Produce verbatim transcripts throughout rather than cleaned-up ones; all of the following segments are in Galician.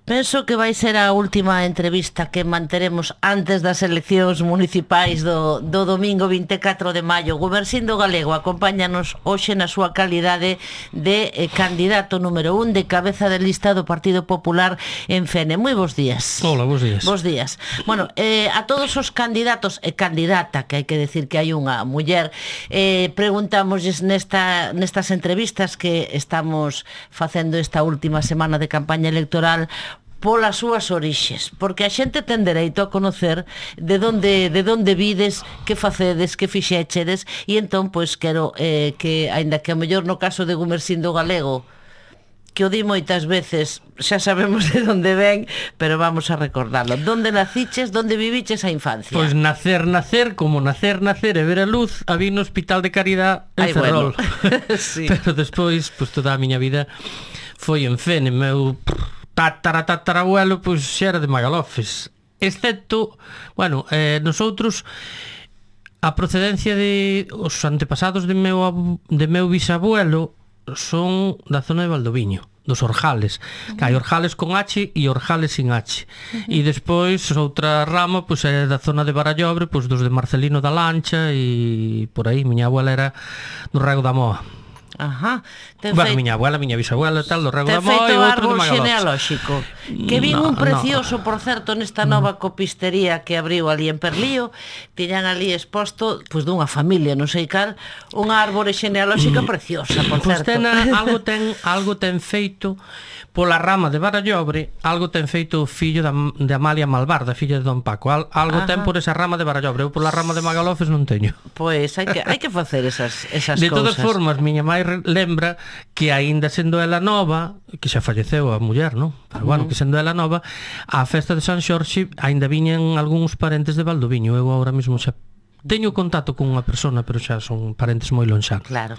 Penso que vai ser a última entrevista que manteremos antes das eleccións municipais do, do domingo vinte e catro de maio. Gumersindo Galego acompáñanos hoxe na súa calidade de eh, candidato número un de cabeza de lista do Partido Popular en Fene. Moi bons días. Hola, bons días. Bos días. Bueno, eh, a todos os candidatos e candidata, que hai que decir que hai unha muller, eh, preguntámosles nesta, nestas entrevistas que estamos facendo esta última semana de campaña electoral polas súas orixes, porque a xente ten dereito a conocer de onde de onde vides, que facedes, que fixéchedes, e entón pois quero eh, que, aínda que a mellor no caso de Gumersindo Galego, que o di moitas veces, xa sabemos de onde ven, pero vamos a recordarlo. Donde naciches, donde viviches a infancia? Pois nacer, nacer, como nacer, nacer e ver a luz, a vi no Hospital de Caridad en Ay, Ferrol. Bueno. Sí. Pero despois, pois toda a miña vida foi en Fene. Meu tatara tatarabuelo pois xa era de Magalofes, excepto, bueno, eh, nosotros a procedencia de os antepasados de meu de meu bisabuelo son da zona de Valdoviño, dos Orjales. Uh-huh. Que hai Orjales con H e Orjales sin H. Uh-huh. E despois outra rama pois é da zona de Barallobre, pois dos de Marcelino da Lancha e por aí. Miña abuela era do Rego da Moa. Ajá. Bueno, feito... miña abuela, miña bisabuela tal, do Rego da Moa e outro de Magalofes. Genealóxico. Que vin no, un precioso, no. Por certo, nesta nova copistería que abriu ali en Perlío, tiñan ali exposto, pois dunha familia, non sei cal, unha árbore genealóxica preciosa, por pues certo. Ten, algo ten algo ten feito pola rama de Barallobre, algo ten feito o fillo da, de Amalia Malvarda, filla de Don Paco. Al, algo Ajá. ten por esa rama de Barallobre. Eu pola rama de Magalofes non teño. Pois hai que hai que facer esas esas de cousas. De todas formas, miña mãe lembra que aínda sendo ela nova, que xa falleceu a muller, non? Pero bueno, uh-huh. que sendo ela nova, a festa de San Xorxe aínda viñan algúns parentes de Valdoviño. Eu agora mesmo xa teño contacto con unha persona, pero xa son parentes moi lonxanos. Claro.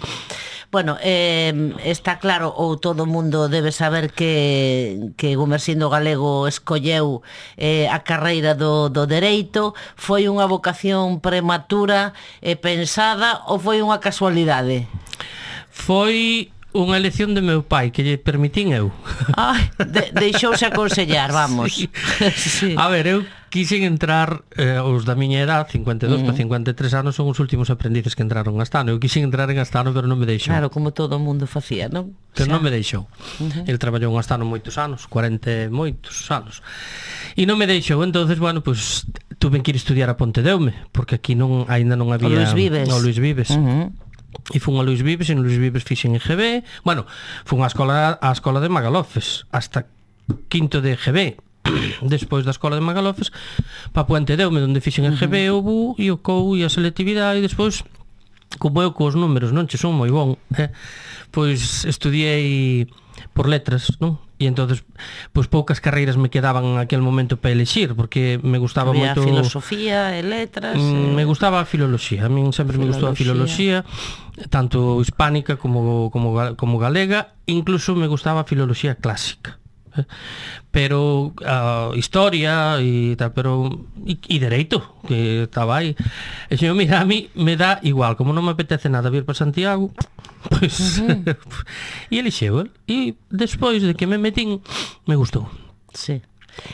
Bueno, eh, está claro, ou todo o mundo debe saber que, que Gumersindo Galego escolleu eh, a carreira do, do dereito. Foi unha vocación prematura e eh, pensada ou foi unha casualidade? Foi unha elección de meu pai que lle permitín eu. Ai, de, deixouse aconsellar, vamos. Sí. Sí. A ver, eu quixen entrar, eh, os da miña edad, cincuenta e dos uh-huh. para cincuenta e tres anos, son os últimos aprendices que entraron en Astano. Eu quixen entrar en Astano, pero non me deixou. Claro, como todo o mundo facía, non? Pero xa. Non me deixou. Uh-huh. El traballou en Astano moitos anos, cuarenta e moitos anos. E non me deixou, entonces, bueno, pues tuve que ir estudiar a Pontedeume, porque aquí non aínda non había... O Luis Vives. O Luis Vives. Uh-huh. E fun a Luis Vives, e en Luis Vives fixen en G B. Bueno, fun á escola, á escola de Magalofes hasta quinto de G B. Despois da escola de Magalofes pa Pontedeume, onde fixen en G B o B U e o C O U e a selectividade. E despois, como eu cos números non che son moi bon, eh, pois estudiei por letras, non? E entonces, pois poucas carreiras me quedaban en aquel momento para elexir, porque me gustaba Había moito filosofía e letras. Mm, e... Me gustaba a filoloxía. A min sempre filoloxía. me gustou a filoloxía, tanto hispánica como como como galega, incluso me gustaba a filoloxía clásica. Eh? Pero a uh, historia e tal, pero e, e dereito que estaba aí. E se mira, a mí me dá igual, como non me apetece nada vir para Santiago, pois uh-huh. e elixeu el. E despois de que me metín, me gustou. Sí.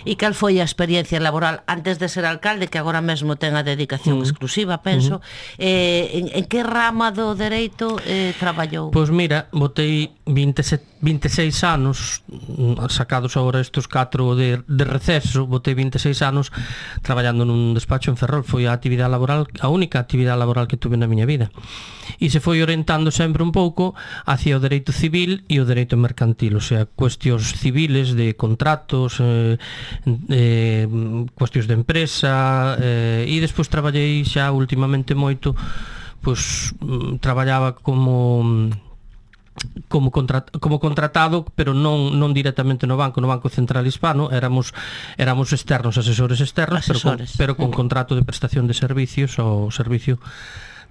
E cal foi a experiencia laboral antes de ser alcalde, que agora mesmo ten a dedicación uh-huh. exclusiva, penso? Uh-huh. eh, en, en que rama do dereito eh, traballou? Pois mira, botei vinte e seis anos, sacados agora estes catro de, de receso, botei vinte e seis anos traballando nun despacho en Ferrol. Foi a actividade laboral, a única actividade laboral que tuve na miña vida. E se foi orientando sempre un pouco hacia o dereito civil e o dereito mercantil, o sea, cuestións civiles de contratos, eh, eh, cuestións de empresa, eh, e despois traballei xa últimamente moito, pois traballaba como como contrat, como contratado, pero non non directamente no banco, no Banco Central Hispano, éramos éramos externos, asesores externos, asesores. pero con, pero con contrato de prestación de servicios ao servicio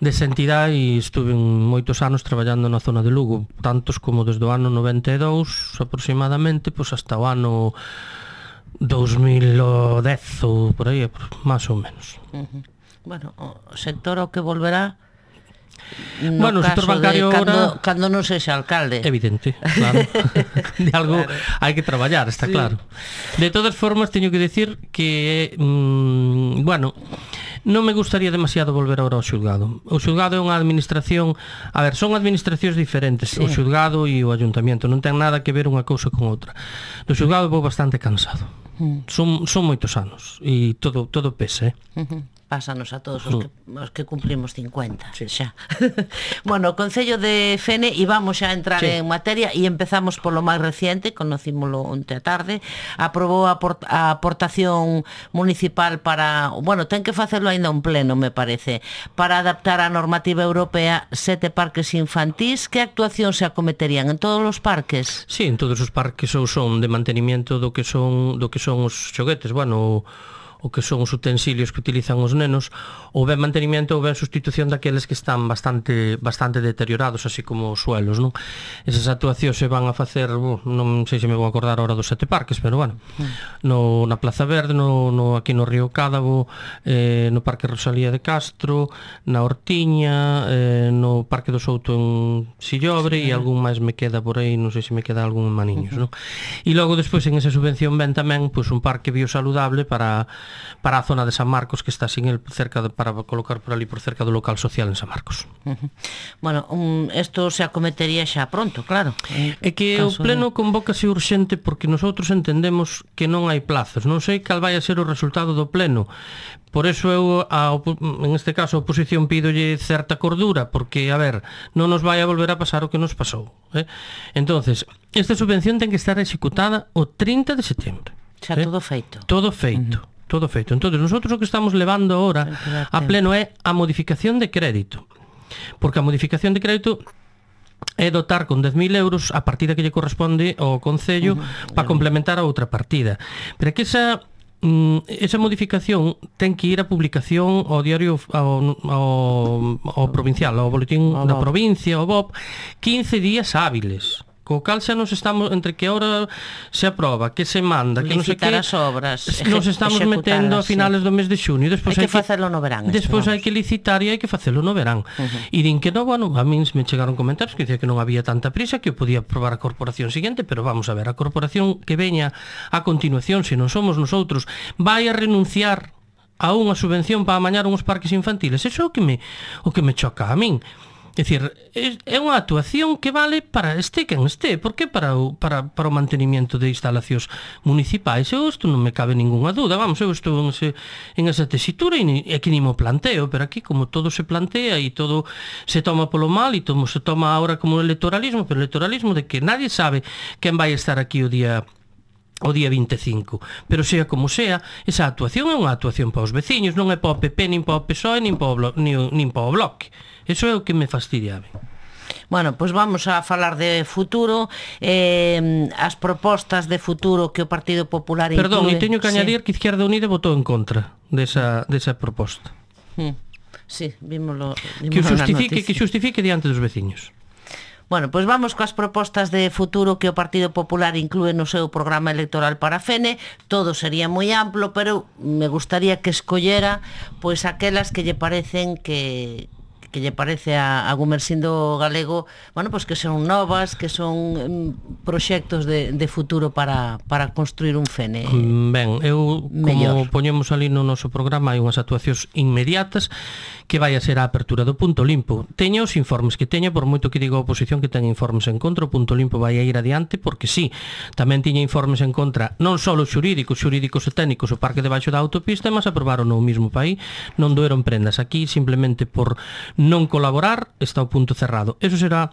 desa entidade, e estuve moitos anos traballando na zona de Lugo, tantos como desde o ano noventa e dous aproximadamente, pois hasta o ano dos mil dez ou por aí, máis ou menos. Uh-huh. Bueno, o sector ao que volverá no bueno, o sector bancario de cando, ahora... cando non sexa alcalde. Evidente, claro. De algo claro. Hai que traballar, está sí. Claro. De todas formas, teño que decir que, mmm, bueno, non me gustaría demasiado volver agora ao xulgado. O xulgado é unha administración... A ver, son administracións diferentes, sí. O xulgado e o ayuntamiento. Non ten nada que ver unha cousa con outra. No xulgado vou bastante cansado. Mm. Son, son moitos anos e todo, todo pesa, eh? Uh-huh. Pásanos a todos os que, os que cumplimos cincuenta, sí. Xa. Bueno, o Concello de Fene, e vamos xa a entrar sí. En materia, e empezamos polo máis reciente, conocímolo onte a tarde, aprobou a, port, a aportación municipal para, bueno, ten que facelo aínda un pleno, me parece, para adaptar a normativa europea sete parques infantís. Que actuación se acometerían en todos os parques? Sí, en todos os parques ou son de mantenimiento do que son do que son os xoguetes, bueno, o que son os utensilios que utilizan os nenos, ou ben mantenimiento ou ben sustitución daqueles que están bastante bastante deteriorados, así como os suelos, non? Esas actuacións se van a facer, uh, non sei se me vou acordar ahora dos sete parques, pero bueno, no, na Plaza Verde, no, no, aquí no Río Cádavo, eh, no Parque Rosalía de Castro, na Hortiña, eh, no Parque do Souto en Sillobre, sí, e algún máis me queda por aí, non sei se me queda algún en Maniños, uh-huh. Non? E logo despois en esa subvención ven tamén pois, un parque biosaludable para para a zona de San Marcos, que está sin el cerca de, para colocar por ali por cerca do local social en San Marcos. Uh-huh. Bueno, um, esto se acometería xa pronto, claro. É que o pleno de... convócase urxente porque nosotros entendemos que non hai plazos. Non sei cal vai a ser o resultado do pleno. Por eso eu, a, en este caso, a oposición pídolle certa cordura, porque, a ver, non nos vai a volver a pasar o que nos pasou. Eh? Entonces, esta subvención ten que estar executada o trinta de setembro. Xa, eh? todo feito. Todo feito. Uh-huh. Todo feito. Entonces, nosotros o que estamos levando ahora a pleno é a modificación de crédito. Porque a modificación de crédito é dotar con dez mil euros a partida que lle corresponde ao Concello uh-huh. para complementar a outra partida. Pero é que esa esa modificación ten que ir a publicación ao diario ao, ao, ao provincial, ao boletín o da provincia, ao B O P, quince días hábiles. Co cal xa nos estamos, entre que ahora se aproba, que se manda, que non sei que, as obras, nos estamos metendo a finales sí. do mes de xuño. Hai que facelo no verán. Despois hai que licitar e hai que facelo no verán. Uh-huh. E din que non, bueno, a min me chegaron comentarios que dicía que non había tanta prisa, que eu podía aprobar a corporación siguiente, pero vamos a ver, a corporación que veña a continuación, se non somos nosotros, vai a renunciar a unha subvención para amañar uns parques infantiles. Eso é o que me, o que me choca a min. É dicir, é unha actuación que vale para este quen este, porque para o, para, para o mantenimiento de instalacións municipais. Eu isto non me cabe ninguna dúda, vamos, eu estou en, ese, en esa tesitura e aquí ni mo planteo, pero aquí como todo se plantea e todo se toma polo mal e todo se toma ahora como electoralismo, pero electoralismo de que nadie sabe quen vai estar aquí o día o día vinte e cinco, pero sea como sea, esa actuación é unha actuación para os veciños, non é para o P P, nin para o P S O E, nin para o, blo- nin, nin para o Bloque. Eso é o que me fastidia a mí. Bueno, pois pues vamos a falar de futuro, eh, as propostas de futuro que o Partido Popular inclúe... Perdón, e teño que añadir sí. que Izquierda Unida votou en contra desa, desa proposta. Hmm. Sí, vímoslo, vímoslo que justifique, que justifique diante dos veciños. Bueno, pois vamos coas propostas de futuro que o Partido Popular inclúe no seu programa electoral para Fene. Todo sería moi amplo, pero me gustaría que escollera pois aquelas que lle parecen que que lle parece a, a Gumersindo Galego, bueno, pois que son novas, que son mm, proxectos de, de futuro para, para construir un Fene ben, eu, mellor. Como poñemos ali no noso programa, hai unhas actuacións inmediatas que vai a ser a apertura do Punto Limpo. Teña os informes que teña, por moito que diga a oposición que ten informes en contra, o Punto Limpo vai a ir adiante, porque sí, tamén tiña informes en contra, non só os xurídicos, xurídicos e técnicos, o parque debaixo da autopista, mas aprobaron no mismo país, non doeron prendas. Aquí, simplemente por non colaborar, está o punto cerrado. Eso será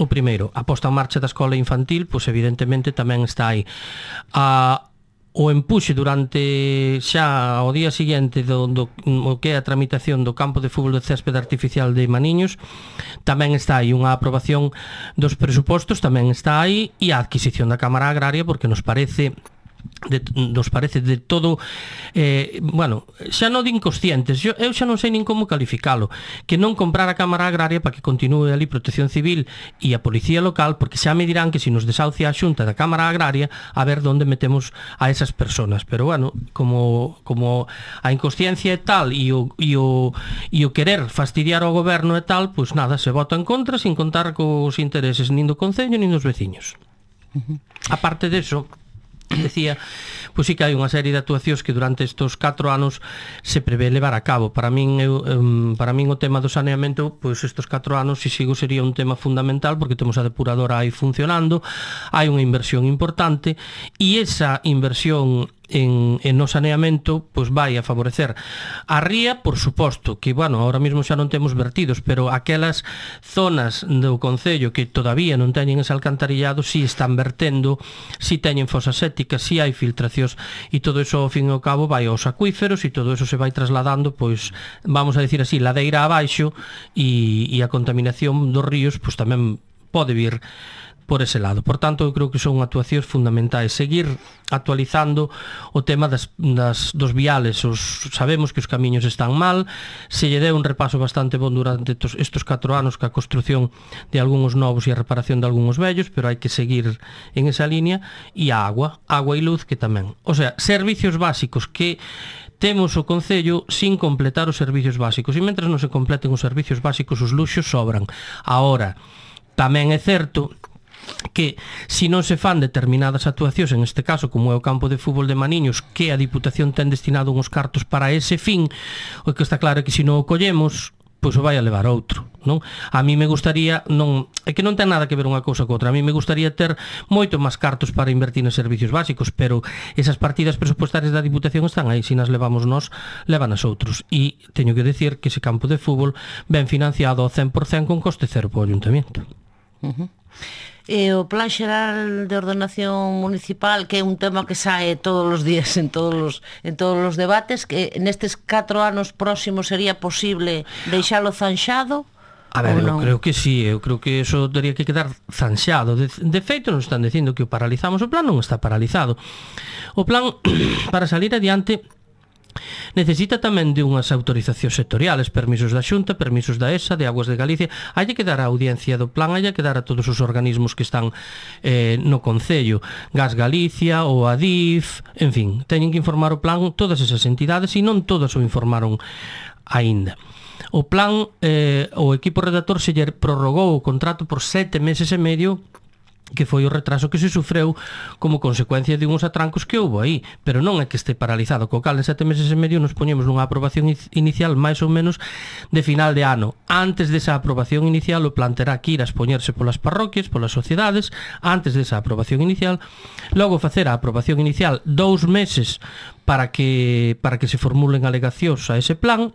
o primeiro. A posta en marcha da escola infantil, pois evidentemente tamén está aí. A o empuxe durante xa ao día seguinte do, do o que é a tramitación do campo de fútbol de céspede artificial de Maniños, tamén está aí unha aprobación dos presupostos, tamén está aí, e a adquisición da Cámara Agraria, porque nos parece de, nos parece de todo eh, bueno, xa non de inconscientes, eu, eu xa non sei nin como calificalo, que non comprar a Cámara Agraria para que continue ali Protección Civil e a Policía Local, porque xa me dirán que se nos desahucia a Xunta da Cámara Agraria, a ver onde metemos a esas personas. Pero bueno, como, como a inconsciencia é tal e o, e, o, e o querer fastidiar ao goberno é tal, pois nada, se vota en contra sin contar cos intereses nin do Concello nin dos veciños. Uh-huh. Aparte deso, decía, pois sí que hai unha serie de actuacións que durante estes catro anos se prevé levar a cabo. Para min, eu, um, para min o tema do saneamento, pois estes catro anos, se sigo, sería un tema fundamental, porque temos a depuradora aí funcionando, hai unha inversión importante, e esa inversión en, en no saneamento pois vai a favorecer a ría, por suposto, que, bueno, ahora mesmo xa non temos vertidos, pero aquelas zonas do Concello que todavía non teñen ese alcantarillado, si están vertendo, si teñen fosas sépticas, si hai filtracións, e todo eso, ao fin e ao cabo, vai aos acuíferos, e todo eso se vai trasladando, pois, vamos a decir así, ladeira abaixo, e, e a contaminación dos ríos, pois tamén pode vir por ese lado. Por tanto, eu creo que son actuacións fundamentais. Seguir actualizando o tema das, das, dos viales. Os, sabemos que os camiños están mal, se lle deu un repaso bastante bon durante tos, estos catro anos ca construción de algúns novos e a reparación de algúns vellos, pero hai que seguir en esa línea. E a agua, agua e luz que tamén. O sea, servicios básicos que temos o Concello sin completar os servicios básicos. E mentre non se completen os servicios básicos, os luxos sobran. Ahora, tamén é certo que se non se fan determinadas actuacións, en este caso como é o campo de fútbol de Maniños, que a Diputación ten destinado uns cartos para ese fin, o que está claro é que se non o collemos, pois o vai a levar outro, non? A mí me gustaría, non, é que non ten nada que ver unha cousa co outra, a mí me gustaría ter moito máis cartos para invertir nos servicios básicos, pero esas partidas presupuestarias da Diputación están aí, se nas levamos nós, levan as outros, e teño que decir que ese campo de fútbol ben financiado ao cen por cen con coste cero para o Ayuntamiento. Uh-huh. E o Plan Xeral de Ordenación Municipal, que é un tema que sae todos os días en todos os, en todos os debates, que nestes catro anos próximos sería posible deixalo zanxado? A ver, eu creo que sí, eu creo que eso teria que quedar zanxado. De, de feito, nos están dicindo que o paralizamos. O plan non está paralizado. O plan, para salir adiante, necesita tamén de unhas autorizacións sectoriales, permisos da Xunta, permisos da E S A, de Aguas de Galicia. Hai que dar a audiencia do plan, hai que dar a todos os organismos que están eh, no Concello, Gas Galicia ou a D I F, en fin, teñen que informar o plan todas esas entidades, e non todas o informaron aínda. O plan, eh, o equipo redactor se lle prorrogou o contrato por sete meses e medio, que foi o retraso que se sufreu como consecuencia de uns atrancos que houve aí, pero non é que este paralizado, co cal en sete meses e medio nos poñemos nunha aprobación inicial máis ou menos de final de ano. Antes desa aprobación inicial, o plan terá que ir a expoñerse polas parroquias, polas sociedades, antes desa aprobación inicial, logo facer a aprobación inicial dous meses para que para que se formulen alegacións a ese plan,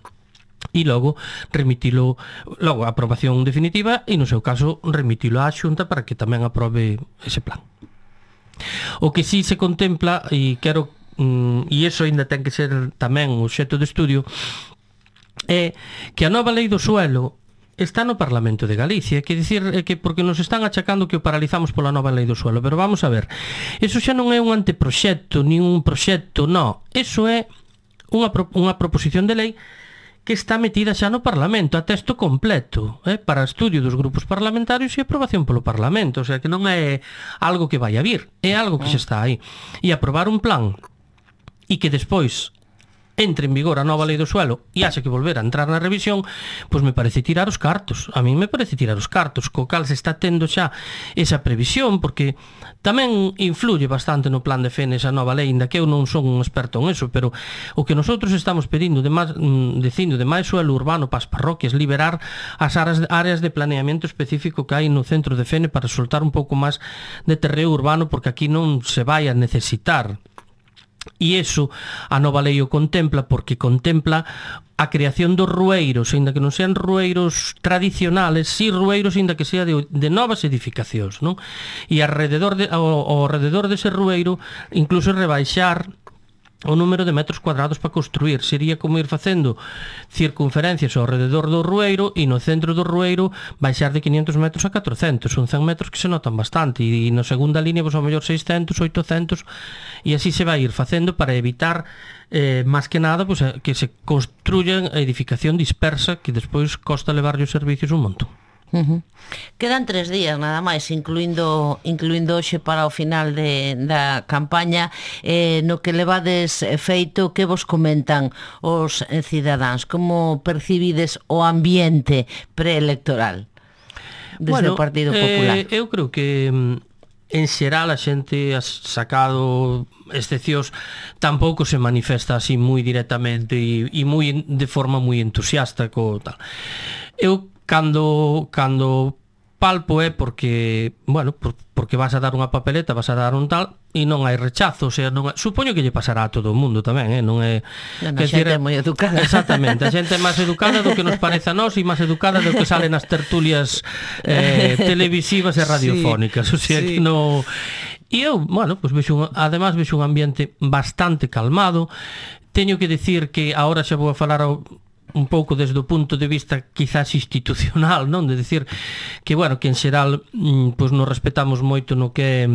e logo remitilo, logo a aprobación definitiva, e no seu caso remitilo á Xunta para que tamén aprobe ese plan. O que sí se contempla, e quero mm, e iso ainda ten que ser tamén obxecto de estudio, é que a nova lei do suelo está no Parlamento de Galicia, que dicir que porque nos están achacando que o paralizamos pola nova lei do suelo, pero vamos a ver, eso xa non é un anteproxecto nin un proxecto, non, eso é unha, unha proposición de lei que está metida xa no Parlamento, a texto completo, eh, para estudio dos grupos parlamentarios e aprobación polo Parlamento, o sea que non é algo que vai a vir, é algo que xa está aí. E aprobar un plan e que despois entre en vigor a nova lei do suelo e haxe que volver a entrar na revisión, pois me parece tirar os cartos. A mí me parece tirar os cartos, co cal se está tendo xa esa previsión, porque tamén influye bastante no plan de F E N esa nova lei, inda que eu non son un experto en eso, pero o que nosotros estamos pedindo de máis, dicindo de máis suelo urbano para as parroquias, liberar as áreas, áreas de planeamento específico que hai no centro de F E N para soltar un pouco máis de terreo urbano, porque aquí non se vai a necesitar. E iso a nova lei o contempla, porque contempla a creación dos rueiros, ainda que non sean rueiros tradicionales, si rueiros ainda que sea de, de novas edificacións, non? E alrededor de, ao, ao alrededor dese rueiro incluso rebaixar o número de metros cuadrados para construir. Sería como ir facendo circunferencias ao rededor do Rueiro e no centro do Rueiro baixar de quinientos metros a catrocentos. Son cen metros que se notan bastante e na segunda línea, pois, ao mellor seiscentos, oitocentos, e así se vai ir facendo para evitar eh, máis que nada pois, que se construyan a edificación dispersa que despois costa levarlle os servicios un montón. Uh-huh. Quedan tres días nada máis, incluindo incluindo hoxe para o final de, da campaña. eh, no que levades feito, que vos comentan os cidadáns? Como percibides o ambiente preelectoral desde bueno, o Partido Popular? Eh, eu creo que en xeral a xente, sacado excepcións, tampouco se manifesta así moi directamente e, e moi, de forma moi entusiasta co tal. Eu Cando, cando palpo é porque, bueno, por, porque vas a dar unha papeleta, vas a dar un tal, e non hai rechazo, o sea, non é, supoño que lle pasará a todo o mundo tamén, eh? Non é... Non, a xente é moi educada. Exactamente, a xente é máis educada do que nos parece a nós e máis educada do que sale nas tertulias eh, televisivas e radiofónicas, o sea, sí, que non... E eu, bueno, pues vexo un, además vexo un ambiente bastante calmado. Teño que decir que agora xa vou a falar ao, un pouco desde o punto de vista quizás institucional, non? De decir que, bueno, que en xeral pois nos respetamos moito no que é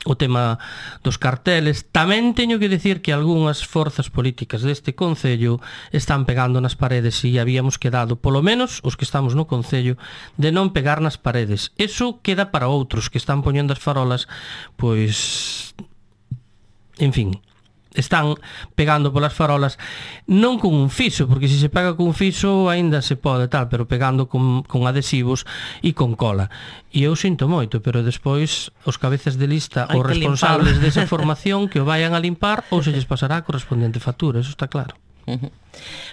o tema dos carteles. Tamén teño que decir que algunhas forzas políticas deste Concello están pegando nas paredes e habíamos quedado, polo menos os que estamos no Concello, de non pegar nas paredes. Eso queda para outros que están poñendo as farolas, pois, en fin, están pegando polas farolas, non con un fiso, porque se se pega con un fiso aínda se pode tal, pero pegando con, con adhesivos e con cola. E eu sinto moito, pero despois os cabezas de lista, os responsables desa formación, que o vayan a limpar ou se lles pasará a correspondente factura, eso está claro.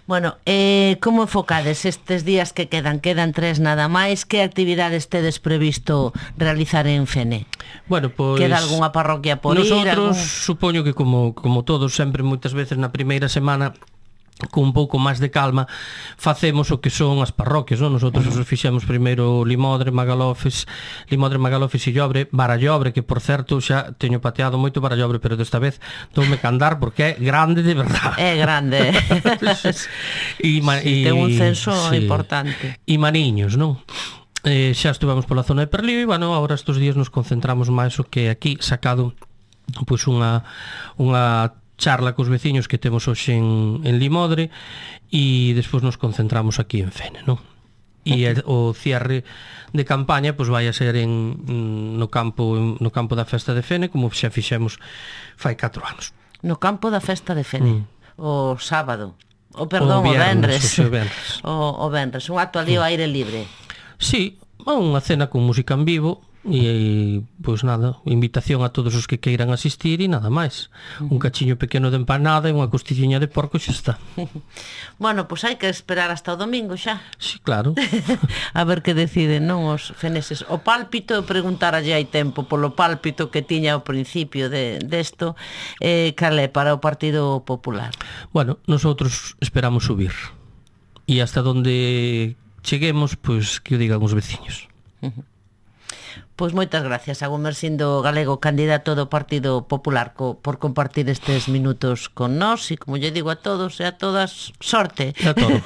Bueno, eh, como enfocades estes días que quedan? Quedan tres nada máis. Que actividades tedes previsto realizar en Fene? Bueno, pois... Queda algunha parroquia por nosotros, ir? Nosotros, algún... supoño que como, como todos, sempre moitas veces na primeira semana, con un pouco máis de calma, facemos o que son as parroquias, non? Nosotros os fixemos primeiro Limodre, Magalofes, Limodre, Magalofes e Llobre, Barallobre, que por certo xa teño pateado moito Barallobre, pero desta vez doume candar porque é grande de verdade. É grande. E, ma, sí, e, ten un censo sí, importante. E Maniños, non? Eh, xa estuvemos pola zona de Perlío e, bueno, agora estes días nos concentramos máis o que aquí sacado pois unha unha charla cos veciños que temos hoxe en, en Limodre e despois nos concentramos aquí en Fene, non? E o cierre de campaña pois vai a ser en, no campo no campo da festa de Fene, como xa fixemos fai catro anos. No campo da festa de Fene, mm. o sábado, o perdón, o viernes, o venres. O, o venres, un acto ali ao aire libre. Sí, unha cena con música en vivo. E, pois nada, invitación a todos os que queiran asistir e nada máis. Un cachiño pequeno de empanada e unha costilliña de porco xa está. Bueno, pois hai que esperar hasta o domingo xa. Sí, claro. A ver que deciden, non, os feneses. O pálpito, preguntar allí hai tempo polo pálpito que tiña ao principio de desto, de eh, cal é para o Partido Popular? Bueno, nosotros esperamos subir. E hasta donde cheguemos, pois que o digan os veciños. Uh-huh. Pois moitas gracias a Gumersindo Galego, candidato do Partido Popular, co, por compartir estes minutos con nós e, como lle digo a todos e a todas, sorte. A todo.